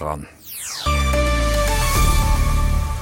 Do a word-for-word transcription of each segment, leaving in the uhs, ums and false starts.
dran.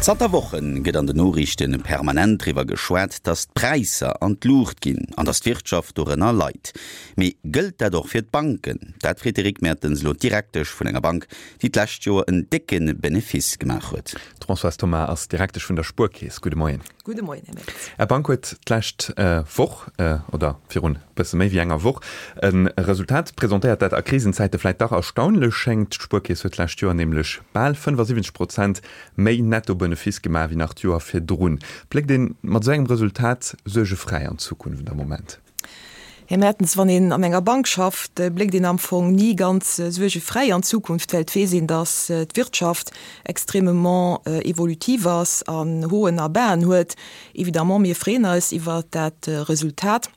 Zanter Wochen gëtt an den Noriichte permanent driwwer geschwat, datt d'Präisser an d'Luucht ginn an datt d'Wirtschaft dorënner leit. Mee gëllt dat och fir d'Banken? Dat freet de Rick Mertens elo d'Direktesch vun enger Bank, déi d'lescht Joer en décke Benefice gemaach huet. D'Françoise Thoma ass Direktesch vun der Spuerkeess. Gudde Moien. Gudde Moien, Här Mertens. Är Bank huet d'lescht Woch, oder virun e bësse méi wéi enger Woch, e Resultat presentéiert, dat a Krisenzäite vläit dach erstaunlech schéngt. D'Spuerkeess huet d'lescht Joer nämlech bal fënnefasiwwenzeg Prozent méi Nettobenefice gemaach wéi nach d'Joer virdrun. Bléckt ee mat esou engem Resultat suergefräi an d'Zukunft am Moment? Här Mertens, wann een an enger Bank schafft, bléckt een am Fong ni ganz suergefräi an d'Zukunft, well et weess een, datt d'Wirtschaft extrêmement évolutive ass an Hauten a Basen huet. Évidemment, mir freeën eis iwwert dat Resultat.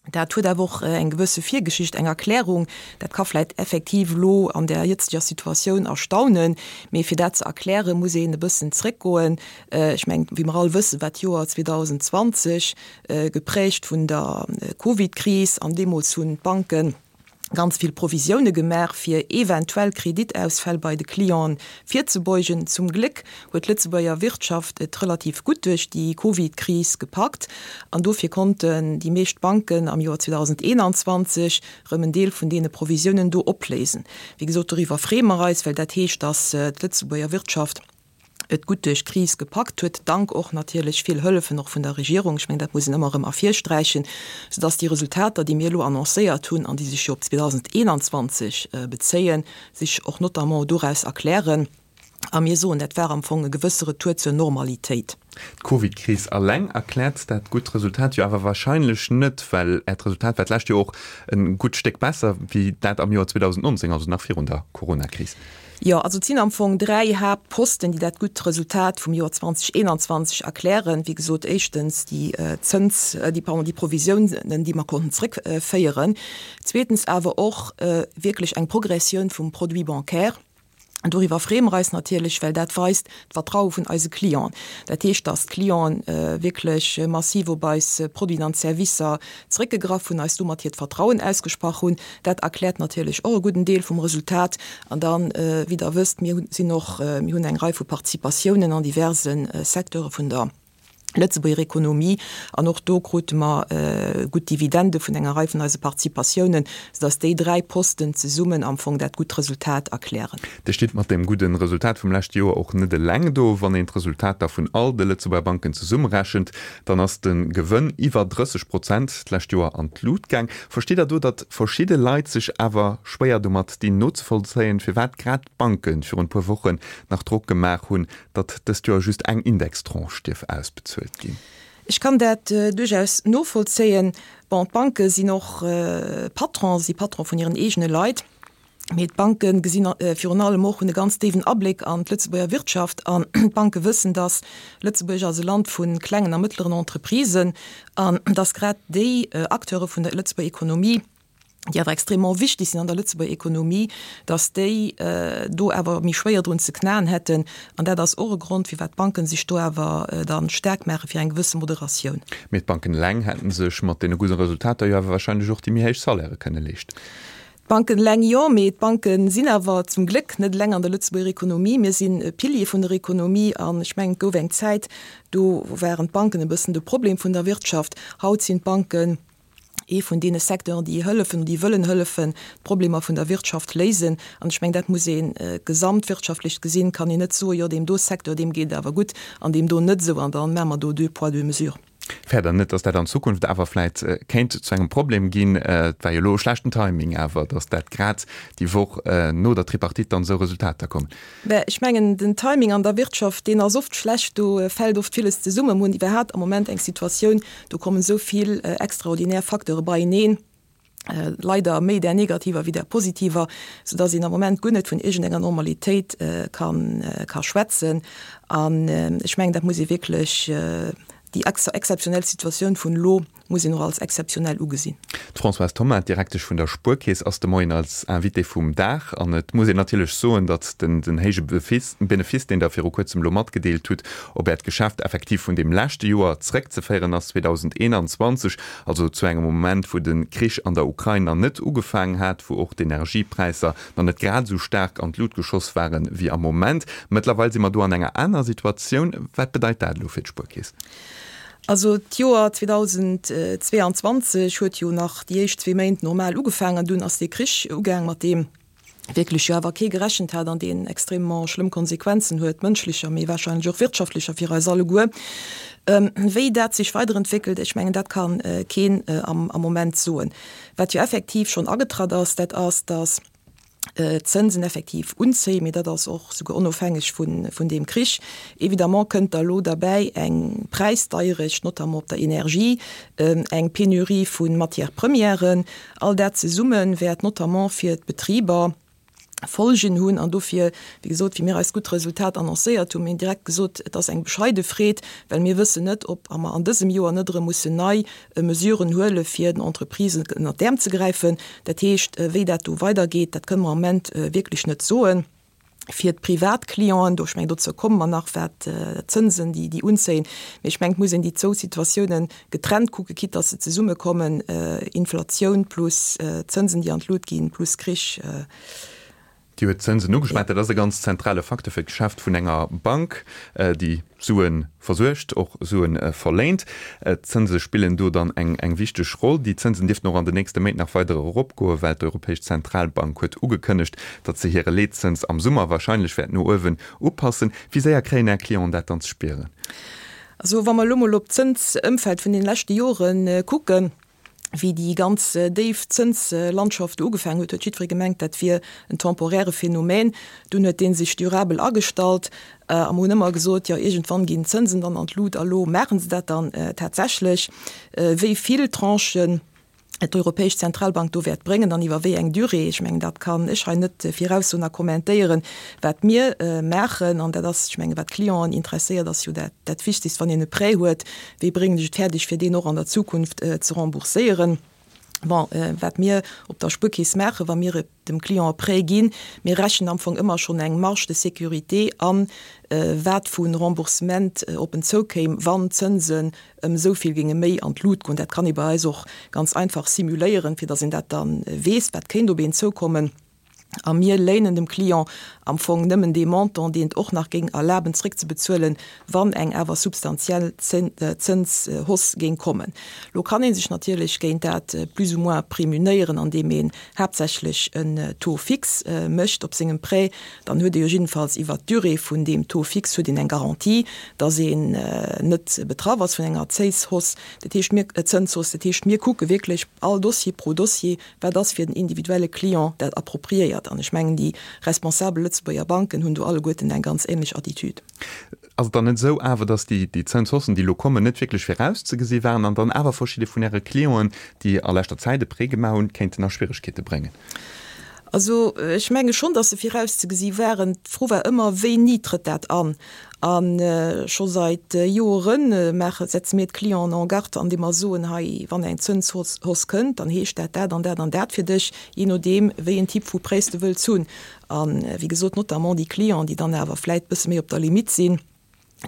Dat huet awer och eng gewësse Virgeschicht, eng Erklärung. Dat ka vläicht effektiv elo an der jëtzeger Situatioun erstaunen, mee fir dat ze erklären, muss een e bëssen zréckgoen. Ech mengen, wéi mer all wëssen, war d'Joer zweedausenzwanzeg geprägt vun der Covid-Kris an deemools hunn d'Banken ganz vill Provisioune gemaach, fir eventuell Kreditausfäll bei de Clienten virzebeugen. Zum Gléck huet d'Lëtzebuerger Wirtschaft et relativ gutt duerch déi Covid-Kris gepackt an dofir konnten déi meescht Banken am Joer zweedausendeenanzwanzeg erëm en Deel vun deene Provisiounen do opléisen. Wéi gesot, doriwwer freeë mer eis, well dat heescht, datt d'Lëtzebuerger Wirtschaft et gutt duerch d'Kris gepackt huet, dank och natierlech vill Hëllefen och vun der Regierung, ech mengen, dat muss een ëmmer erëm ervirsträichen, soudass déi Resultater, déi mir elo annoncéiert hunn an déi sech jo op zweedausendeenanzwanzeg bezéien, sech och notamment doraus erklären. A mir soen, dat war am Fong e gewësse Retour zur Normalitéit. D'Covidkris alleng erkläert dat gutt Resultat jo awer wahrscheinlech net, well Äert Resultat war d'lescht Joer och e gutt Stéck besser wéi dat am Joer zweedausendnonzéng, also nach virun der Coronakris. Jo, also et sinn am Fong dräi Haaptposten, déi dat gutt Resultat vum Joer zweedausendeenanzwanzeg erklären. Wéi gesot, éischtens déi Zëns, déi, pardon, déi Provisiounen, déi mer konnten zrëckféieren. Zweetens awer och wierklech eng Progressioun vum Produit bancaire. An doriwwer freeë mer eis natierlech, well dat weist d'Vertraue vun eise Clienten. Dat heescht, dass d'Clienten wierklech massiv op eis Produiten an Servicer zréckgegraff hunn, eis domat hiert Vertrauen ausgesprach hunn. Dat erkläert natierlech och e gudden Deel vum Resultat. An dann, wéi Der wësst, mir sinn och, mir hunn eng Rei vu Participatiounen an diverse Secteure vun der Lëtzebuerger Ekonomie an och do krute mer gutt Dividende vun enger Rei vun eise Participatiounen, soudass déi dräi Posten zesummen am Fong dat gutt Resultat erklären. Dir stitt mat deem gudde Resultat vum leschte Joer och net eleng do. Wann een d'Resultater vun all de Lëtzebuerger Banken zesummerechent, dann ass de Gewënn iwwer drësseg Prozent d'lescht Joer an d'Lut gaang. Versteet Der do, datt verschidde Leit sech awer schwéier domat dinn nozevollzéien, firwat grad d'Banke virun e puer Wochen nach Drock gemaach hunn, datt dëst Joer just eng Indextranche dierf ausbezuelt ginn? Ech kann dat duerchaus novollzéien. Bon, d'Banke sinn och Patron, si Patron vun hiren eegene Leit. Mee d'Banke gesinn virun allem och, hunn e ganz déiwen Abléck an d'Lëtzebuerger Wirtschaft. An d'Banke wëssen, datt Lëtzebuerg ass e Land vu klengen a mëttleren Entreprisen an datt grad déi Acteure vun der Lëtzebuerger Ekonomie, déi awer extrêmement wichtig sinn an der Lëtzebuerger Ekonomie, dass déi do awer méi schwéier drun ze knaen hätten. An dat ass och e Grond, firwat d'Banken sech do awer da staark maache fir eng gewësse Moderatioun. Mee d'Banken eleng hätte sech mat deene gudde Resultater jo awer wahrscheinlech och déi méi héich Salairë kënne leeschten. D'Banken eleng jo, mee d'Banke sinn awer zum Gléck net eleng an der Lëtzebuerger Ekonomie. Mir sinn e Pilier vun der Ekonomie an ech mengen, et gouf eng Zäit, do waren d'Banken e bëssen de Problem vun der Wirtschaft. Haut sinn d'Banken ee vun deene Secteuren, déi hëllefen, déi wëllen hëllefen, d'Problemer vun der Wirtschaft léisen. An ech mengen, dat muss ee gesamtwirtschaftlech gesinn, kann een net soen, jo deem do Secteur, deem geet et awer gutt an deem do net esou an da maache mer do deux poids, deux mesures. Fäert Der net, datt dat an Zukunft awer vläit kéint zu engem Problem ginn? Et war jo elo e schlechten Timing awer, datt dat grad déi Woch no der Tripartite dann esou Resultater kommen. Mä ech mengen, den Timing an der Wirtschaft, deen ass oft schlecht, do fält oft villes zesummen. Mir hunn iwwerhaapt am Moment eng Situatioun, do kommen esou vill extraordinär Facteure beieneen, leider méi där negativer wéi där positiver, soudass een am Moment guer net vun iergendenger Normalitéit ka schwätzen. An ech mengen, dat muss ee wierklech, déi exzeptionell Situatioun vun elo muss een och als exzeptionell ugesinn. D'Françoise Thoma, d'Direktesch vun der Spuerkeess, ass de Moien als Invitée vum Dag. An et muss een natierlech soen, datt den den héije Benefice, deen Der viru kuerzem elo matgedeelt hutt, op Äert Geschäft effektiv vun deem leschte Joer zréckzeféieren ass, zweedausendeenanzwanzeg, also zu engem Moment, wou de Krich an der Ukrain nach net ugefaangen hat, wou och d'Energiepräisser nach net grad esou staark an d'Lut geschoss waren wéi am Moment. Mëttlerweil si mer do an enger aner Situatioun. Wat bedeit dat elo fir d'Spuerkeess? Also d'Joer zweedausendzweeanzwanzeg huet jo nach déi éischt zwee Méint normal ugefaangen. Dunn ass dee Krich ugaang, mat deem wierklech jo awer kee gerechent hat an deen extrêmement schlëmm Konsequenzen huet, mënschlecher, mee wahrscheinlech och wirtschaftlecher fir eis alleguer. Wéi dat sech weiderentwéckelt, ech mengen, dat ka keen am Moment soen. Wat jo effektiv schonn agetratt ass, dat ass, datt d'Zënsen effektiv unzéien, mee dat ass och souguer onofhängeg vun deem Krich. Évidemment kënnt da lo derbäi eng Präisdeierecht, notamment op der Energie, eng Penurie vu Matières-premièren. All dat zesumme wäert notamment fir d'Betriber Folgen hunn. An dofir, wéi gesot, wéi mir eist gutt Resultat annoncéiert hunn, mir hunn direkt gesot, et ass eng bescheide Freed, well mir wëssen net, ob mer an dësem Joer net erëm mussen nei Mesuren huele fir den Entreprisen ënnert d'Äerm ze gräifen. Dat heescht, wéi dat do weidergeet, dat kënne mer am Moment wierklech net soen. Fir d'Privatclienten, do, ech mengen, dozou komme mer nach, wat d'Zënsen, déi, déi unzéien, mee ech mengen, et muss een déi zwou Situatiounen getrennt kucken, quitte dass se zesummekommen, Inflatioun plus Zënsen, déi an d'Lut ginn, plus Krich. Dir huet d'Zënsen ugeschwat. Dat ass e ganz zentrale Facteur fir d'Geschäft vun enger Bank, déi Sue versuergt, och Sue verléint. D'Zënse spillen do dann eng eng wichteg Roll. Déi Zënsen dierften och an den nächste Méint nach weider eropgoen, well d'Europäesch Zentralbank huet ugekënnegt, datt se hire Leetzëns am Summer wahrscheinlech wäert no uewen upassen. Wéi séier kréien Är Clienten dat dann ze spieren? Also wa mer elo mol op d'Zënsëmfeld vun den leschte Jore kucken, wéi déi ganz déif Zënslandschaft do ugefaangen huet, huet jiddweree gemengt, dat wier en temporäre Phänomen. Dunn huet dee sech durabel agestallt a mer hunn ëmmer gesot, jo iergendwann ginn d'Zënsen dann an d'Lut a lo maache se dat dann tatsächlech. Wéi vill Tranchen d'Europäesch Zentralbank do wäert bréngen an iwwer wéi eng Durée, ech mengen, dat kann ech hei net viraussoen a kommentéieren. Wat mir maachen, an dat ass, ech mengen, wat d'Clienten interesséiert, ass jo dat dat Wichtigst, wann een e Prêt huet, wéi bréngen ech et fäerdeg, fir deen och an der Zukunft ze rembourséieren. Bon, wat mir op der Spuerkeess maachen, wa mir dem Client e Prêt ginn, mir rechnen am Fong ëmmer schonn eng Marge de sécurité an, wat vu Remboursement op en zoukéim, wann d'Zënsen ëm esou vill géinge méi an d'Lut goen. Dat kann ee bei eis och ganz einfach simuléieren, fir datt een dat da weess, wat kéint op een zoukommen. A mir léinen dem Client am Fong nëmmen dee Montant, deen et och nach géing erlaben zréckzebezuelen, wann eng awer substantiell Zënshausse géing kommen. Lo kann ee sech natierlech géint dat plus ou moins prémunéieren, andeem een haaptsächlech en Taux fixe mécht op sengem Prêt. Dann huet ee jo jiddefalls iwwert d'Durée vun deem Taux fixe huet een eng Garantie, dass een net betraff ass vun enger Zéishausse, dat heescht mir, Zënshausse. Dat heescht, mir kucke wierklech all Dossier pro Dossier, wat ass fir den individuelle Client dat appropriéiert. An ech mengen, déi responsabel Lëtzebuerger Banken hunn do alleguerten eng ganz ähnlech Attitude. Ass et dann net esou awer, datt déi Zënshaussen, déi elo kommen, net wierklech virauszegesi waren an dann awer verschidde vun Äre Clienten, déi a leschter Zäit e Prêt gemaach hunn, kéinten a Schwieregkeete bréngen? Also ech menge schonn, datt se virauszegesi waren. D'Fro war ëmmer, Wéini trëtt dat an? A scho seit Jore maache, setze mir d'Clienten en garde, andeem mer soen, hei, wann eng Zënshausse kënnt, dann heescht dat dat an dat an dat fir dech, jee nodeem, wéi en Typ vu Prêts de wëlls hunn. A wéi gesot, notamment déi Clienten, déi dann awer vläit e bësse méi op der Limitt sinn,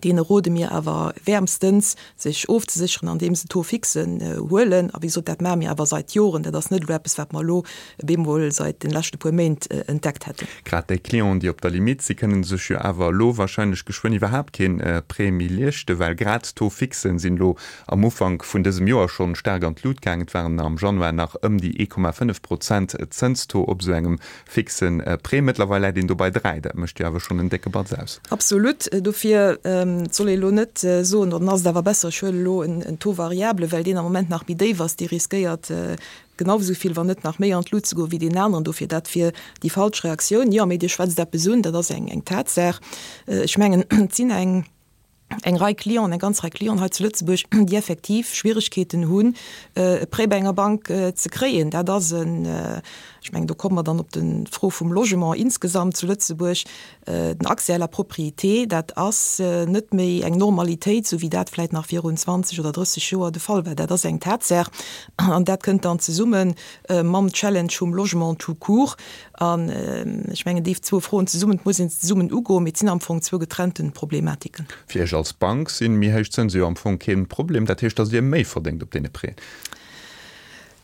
Deene rode mir awer wäermstens, sech ofzesécheren, andeem se Taux fixen huelen. A wéi gesot, dat maache mir awer seit Joren. Dat ass net elo eppes, wat mer elo op eemol seit de leschte puer Méint entdeckt hätten. Grad déi Clienten, déi op der Limitt si, kënne sech jo awer elo wahrscheinlech geschwënn iwwerhaapt kee Prêt méi leeschten, well grad d'Taux fixen sinn elo am Ufank vun dësem Joer schonn staark an d'Lut gaangen. Et waren am Januar nach ëm déi ee Komma fënnef Prozent Zënstaux op esou engem fixe Prêt. Mëttlerweil läit een do bei dräi. Dat mécht jo awer schonn en décke Batz aus. Absolut. Dofir, et soll ee elo net soen, dann ass et awer besser, ech huelen elo en Taux variable, well deen am Moment nach méi déif ass. Dee riskéiert genau esou vill, wann net nach méi an d'Lut ze goen, wéi deen aneren. Dofir, dat wier déi falsch Reaktioun. Jo, mee Dir schwätzt eppes un, dat ass eng Tatsaach. Ech mengen, et sinn eng. eng Rei Clienten, eng ganz Rei Clienten hei zu Lëtzebuerg, déi effektiv Schwieregkeeten hunn, e Prêt bei enger Bank ze kréien. Dat ass en, ech mengen, do komme mer dann op d'Fro vum Logement insgesamt zu Lëtzebuerg, den Accès à la propriété, dat ass net méi eng Normalitéit, esou wéi dat vläicht nach virun zwanzeg oder drësseg Joer de Fall war. Dat ass eng Tatsaach an dat kënnt dann zesumme mam Challenge vum Logement tout court. An ech mengen, déi zwou Froen zesummen, et muss een se zesummen ugoen, mee et sinn am Fong zwou getrennte Problematiken. Fir Iech als Bank si méi héich Zënse jo am Fong kee Problem. Dat heescht, datt Dir méi verdéngt op deene Prêten?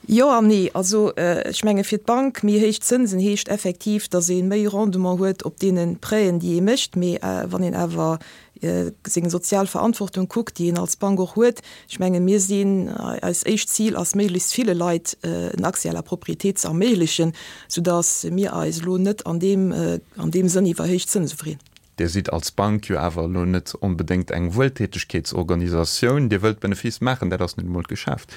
Jo an nee. Also ech menge fir d'Bank, méi héich Zënsen heescht effektiv, datt ee méi Rendement huet op deene Prêten, déi ee mécht. Mee wann een awer seng sozial Verantwortung kuckt, déi een als Bank och huet, ech menge mir sinn, eist éischt Zil ass méiglechst ville Leit en Accès à la propriété ze erméiglechen, soudatt mir eis elo net an deem an deem Sënn iwwer héich Zënse freeën. Dir sidd als Bank jo awer elo net onbedéngt eng Wueltätegkeetsorganisatioun. Dir wëllt Benefice maachen, dat ass nun emol d'Geschäft.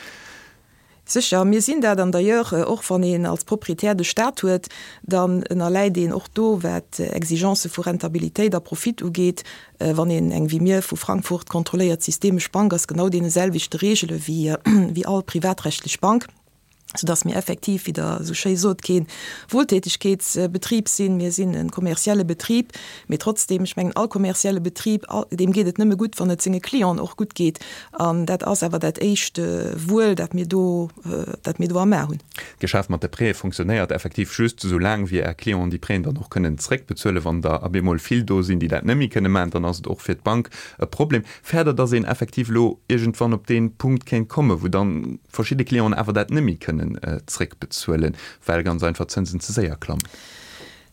Sécher, mir sinn dat. An d'ailleurs, och wann een als Proprietär de Stat huet, dann ënnerläit een och do, wat Exigence vu Rentabilitéit a Profit ugeet, wann een eng wéi mir vu Frankfurt kontrolléiert systemesch Bank ass, genau deene selwechte Regele wéi all privatrechtlech Bank, soudass mir effektiv, wéi Der esou schéi sot, kee Wohltätigkeetsbetrib sinn. Mir sinn e kommerzielle Betrib, mee trotzdem, ech mengen, all kommerzielle Betrib, deem geet et nëmme gutt, wann et senge Clienten och gutt geet. An dat ass awer dat éischt Wuel, dat mir do, dat mir do am A hunn. D'Geschäft mat de Prêtë funktionéiert effektiv just esou laang, wéi Är Clienten déi Prêten dann och kënnen zréckbezuelen. Wann der op eemol vill do sinn, déi dat net méi kënne maachen, dann ass et och fir d'Bank e Problem. Fäert Der, dass een effektiv elo iergendwann op dee Punkt kéint kommen, wou dann verschidde Clienten awer dat net méi kënnen zréckbezuelen, well ganz einfach d'Zënsen ze séier klammen?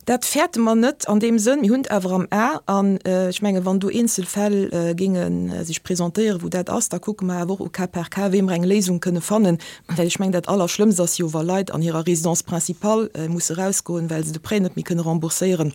Dat fäerte mer net an deem Sënn. Mir hunn et awer am A. An ech menge wann do eenzel Fäll géinge sech presentéieren, wou dat ass, da kucke mer awer och au cas par cas, wéi mer eng Léisung kënne fannen. Well ech mengen, dat Allerschlëmmst ass jo, wa Leit an hirer Résidence principale musse erausgoen, well se de Prêt net méi kënne rembourséieren.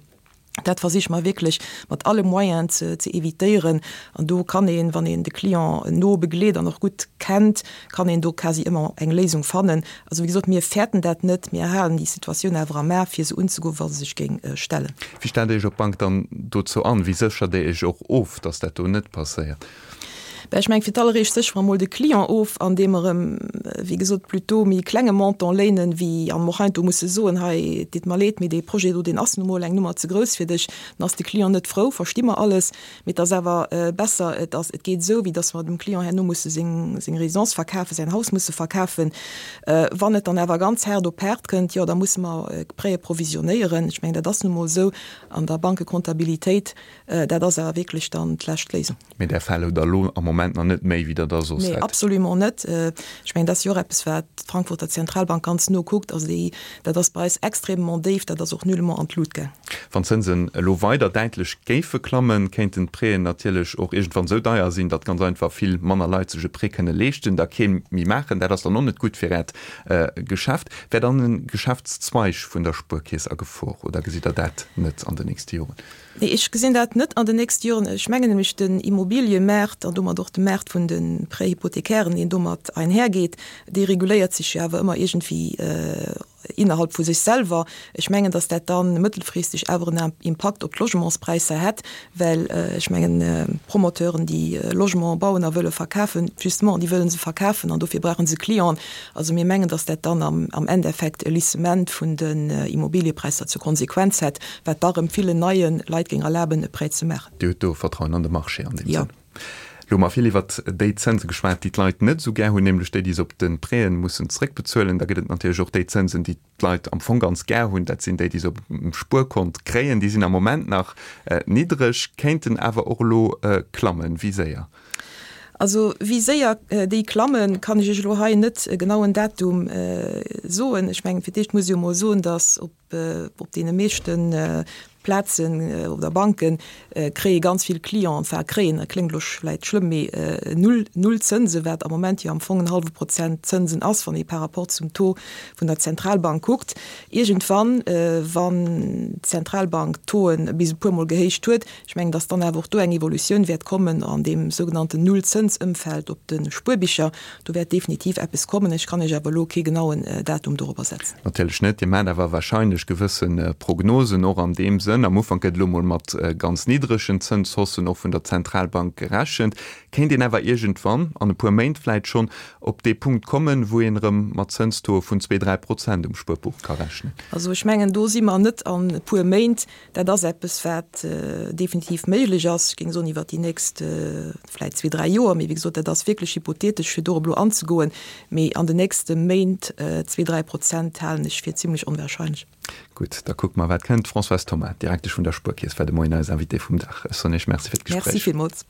Dat versiche mer wierklech mat alle Moyenen ze evitéieren. An do kann een, wann een de Client no begleet an och gutt kennt, kann een do quasi ëmmer eng Léisung fannen. Also wéi gesot, mir fäerten dat net, mir halen déi Situatioun awer am A fir se unzegoen, wa se sech géing stellen. Wéi stellt Dir Iech op Bank dann dozou an? Wéi séchert Dir Iech och of, datt dat do net passéiert? Ben, ech mengen, fir d'alleréischt séchere mer emol de Client of, andeem mer em, wéi gesot, plutôt méi klenge Montant léinen, wéi an mer och heiansdo musse soen, hei, et deet mer leed, mee dee Projet do, deen ass nu mol eng Nummer ze grouss fir dech. Dann ass de Client net frou, versti mer alles, mee et ass awer besser, et ass, et geet esou, wéi datt mer dem Client herno musse seng, seng Résidence verkafen, säin Haus musse verkafen. Wann et dann awer ganz haart op haart kënnt, jo, da musse mer Prêtë provisionéieren. Ech mengen, dat ass nu mol esou an der Bankekontabilitéit. Dat ass awer wierklech dann d'lescht Léisung. Mee där Fäll hutt Der elo am Moment nach net méi, wéi Der der soss hätt? Nee, absolument net. Ech mengen, dat ass jo och eppes, wat d'Frankfurter Zentralbank ganz no kuckt. Also déi, dat ass bei eis extrêmement déif, dat ass och nullement an d'Lut gaang. Wann d'Zënsen elo weider däitlech géife klammen, kéinten d'Prêten natierlech och iergendwann esou deier sinn, datt ganz einfach vill manner Leit sech e Prêt kënne leeschten, da kee méi maachen. Dat ass dann och net gutt fir Äert Geschäft. Wär dann e Geschäftszweig vun der Spuerkeess a Gefor oder gesitt Der dat net an den nächste Joren? Nee, ech gesinn dat net an den nächste Joren. Ech mengen nämlech, den Immobiliëmaart an domat och de Maart vun de Prêts hypothécairen, deen domat einhergeet, dee reguléiert sech jo awer ëmmer iergendwéi innerhalb vu sech selwer. Ech mengen, datt dat da mëttelfristeg awer en Impakt op d'Logementspräisser hätt, well ech mengen, d'Promoteuren, déi Logement bauen a wëlle verkafen, justement, déi wëlle se verkafen an dofir brauche se Clienten. Also mir mengen, datt dat dann am Endeffekt e Lissement vun den Immobiliëpräisser zur Konsequenz hätt, wat da rëm villen neie Leit géing erlaben, e Prêt ze maachen. Dir hutt do Vertrauen an de Marché an deem Jo. Sënn. Elo hu mer vill iwwert déi Zënse geschwat, déi d'Leit net esou gär hunn, nämlech déi, déi se op de Prêten mussen zréckbezuelen. Da gëtt et natierlech och déi Zënsen, déi d'Leit am Fong ganz gär hunn. Dat sinn déi, déi se op dem Spuerkont kréien. Déi sinn am Moment nach niddreg, kéinten awer och elo klammen. Wéi séier? Also wéi séier déi klammen, kann ech Iech elo hei net e genauen Datum soen. Ech mengen, fir d'éischt muss ech jo emol soen, datt op op deene meeschte Plazen oder Banke kréie ganz vill Clienten, enfin kréien, dat kléngt elo vläicht schlëmm, mee null, null Zënse, wat am Moment jo am Fong en hallwe Prozent Zënsen ass, wann ee par rapport zum Taux vun der Zentralbank kuckt. Iergendwann, wann d'Zentralbank d'Tauxen bis e puermol gehéicht huet, Ech mengen, dass dann awer och do eng Evolutioun wäert kommen an deem sougenannten Nullzënsëmfeld op de Spuerbicher. Do wäert definitiv eppes kommen. Ech kann Iech awer elo kee genauen Datum dorobber setzen. Natierlech net. Dir maacht awer wahrscheinlech gewësse Prognosen och an deem Sënn. Sënn, am Ufank gëtt elo mol mat ganz niddregen Zënshaussen och vun der Zentralbank gerechent. Kéint een awer iergendwann, an e puer Méint vläit schonn, op dee Punkt kommen, wou een erëm mat Zënstauxe vun zwee, dräi Prozent um Spuerbuch ka rechnen? Also ech mengen, do si mer net an e puer Méint. Dat ass eppes, wat definitiv méiglech ass, ech géing soen iwwert déi nächst vläit zwee, dräi Joer. Mee wéi gesot, dat ass wierklech hypothetesch, fir dorop elo anzegoen. Mee an den nächste Méint zwee, dräi Prozent halen ech fir zimlech onwahrscheinlech. Gutt, da kucke mer, wat kënnt. D'Françoise Thoma, Direktesch vun der Spuerkeess, war de Moien eis Invitée vum Dag. Ech soen Iech Merci fir d'Gespréich. Merci villmools.